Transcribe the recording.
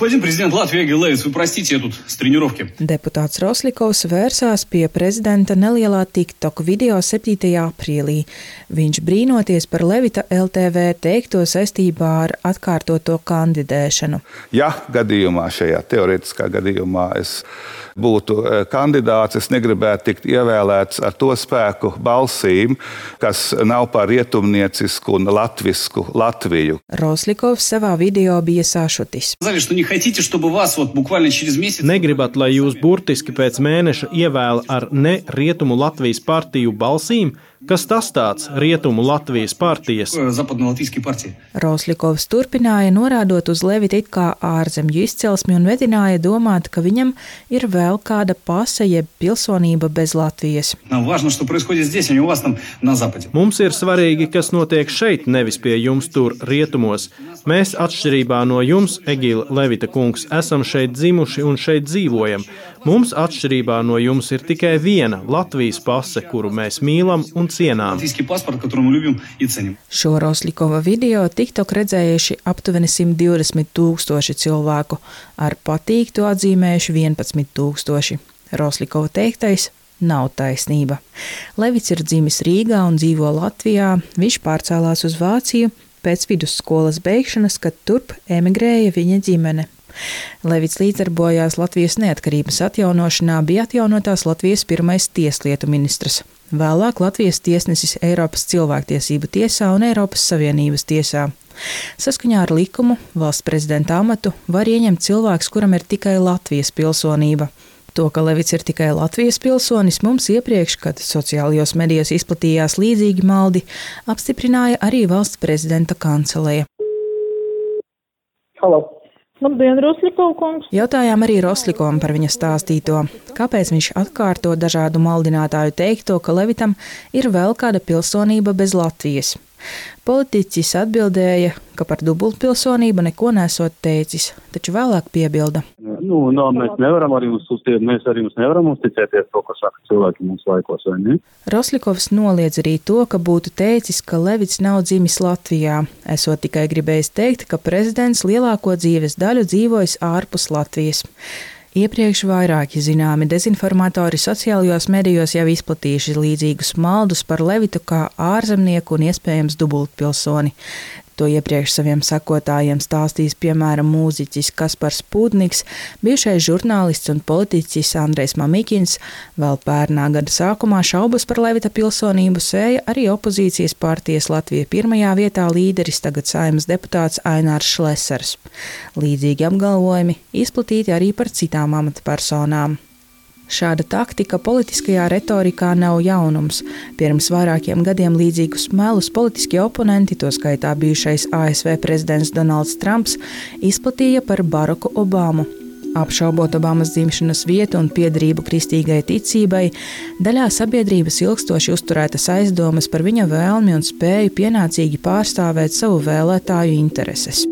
Господин президент Латвии Эгил Левits, вы простите, я тут с тренировки. Deputāts Roslikovs vērsās pie prezidenta nelielā TikTok video 7. aprīlī. Viņš brīnoties par Levita LTV teikto saistībā ar atkārtoto kandidēšanu. Ja gadījumā, šajā teorētiskā gadījumā es būtu kandidāts, es negribētu tikt ievēlēts ar to spēku balsīm, kas nav par rietumniecisku un latvisku Latviju. Roslikovs savā video bija sašutis. Negribat, lai jūs burtiski pēc mēneša ievēl ar ne Rietumu Latvijas partiju balsīm? Kas tas tāds Rietumu Latvijas partijas? Roslikovs turpināja, norādot uz Levita it kā ārzemju izcelsmi un vedināja domāt, ka viņam ir vēl kāda pase jeb pilsonība bez Latvijas. Mums ir svarīgi, kas notiek šeit, nevis pie jums tur rietumos. Mēs atšķirībā no jums, Egila Levita kungs, esam šeit dzimuši un šeit dzīvojam. Mums atšķirībā no jums ir tikai viena Latvijas pase, kuru mēs mīlam un cienām. Šo Roslikova video TikTok redzējuši aptuveni 120,000 cilvēku, ar patīktu atzīmējuši 11,000. Roslikova teiktais nav taisnība. Levits ir dzimis Rīgā un dzīvo Latvijā. Viņš pārcēlās uz Vāciju pēc vidusskolas beigšanas, kad turp emigrēja viņa ģimene. Levits līdzdarbojās Latvijas neatkarības atjaunošanā, bija atjaunotās Latvijas pirmais tieslietu ministrs. Vēlāk Latvijas tiesnesis Eiropas cilvēktiesību tiesā un Eiropas Savienības tiesā. Saskaņā ar likumu valsts prezidenta amatu var ieņemt cilvēks, kuram ir tikai Latvijas pilsonība. To, ka Levits ir tikai Latvijas pilsonis, mums iepriekš, kad sociālajos medijos izplatījās līdzīgi maldi, apstiprināja arī valsts prezidenta kanceleja. Halo. Labdien, Roslikovu kungs! Jautājām arī Roslikovam par viņa stāstīto. Kāpēc viņš atkārto dažādu maldinātāju teikto, ka Levitam ir vēl kāda pilsonība bez Latvijas? Politiķis atbildēja, ka par dubultpilsonību neko nesot teicis, taču vēlāk piebilda. Mēs arī nevaram uzticēties to, ko saka cilvēki mūsu laikos, vai ne? Roslikovs noliedz arī to, ka būtu teicis, ka Levits nav dzimis Latvijā, esot tikai gribējis teikt, ka prezidents lielāko dzīves daļu dzīvojis ārpus Latvijas. Iepriekš vairāki zināmi dezinformatori sociālajos medijos jau izplatījuši līdzīgus maldus par Levitu kā ārzemnieku un iespējams dubultpilsoni. To iepriekš saviem sekotājiem stāstījis piemēram mūziķis Kaspars Pūdniks, bijušais žurnālists un politiķis Andrejs Mamikins. Vēl pērnā gada sākumā šaubas par Levita pilsonību sēja arī opozīcijas partijas Latvija pirmajā vietā līderis, tagad Saeimas deputāts Ainārs Šlesers. Līdzīgi apgalvojumi izplatīti arī par citām amatpersonām. Šāda taktika politiskajā retorikā nav jaunums. Pirms vairākiem gadiem līdzīgus melus politiskie oponenti, to skaitā bijušais ASV prezidents Donalds Trumps, izplatīja par Baraku Obamu. Apšaubot Obamas dzimšanas vietu un piederību kristīgai ticībai, daļā sabiedrības ilgstoši uzturētas aizdomas par viņa vēlmi un spēju pienācīgi pārstāvēt savu vēlētāju intereses.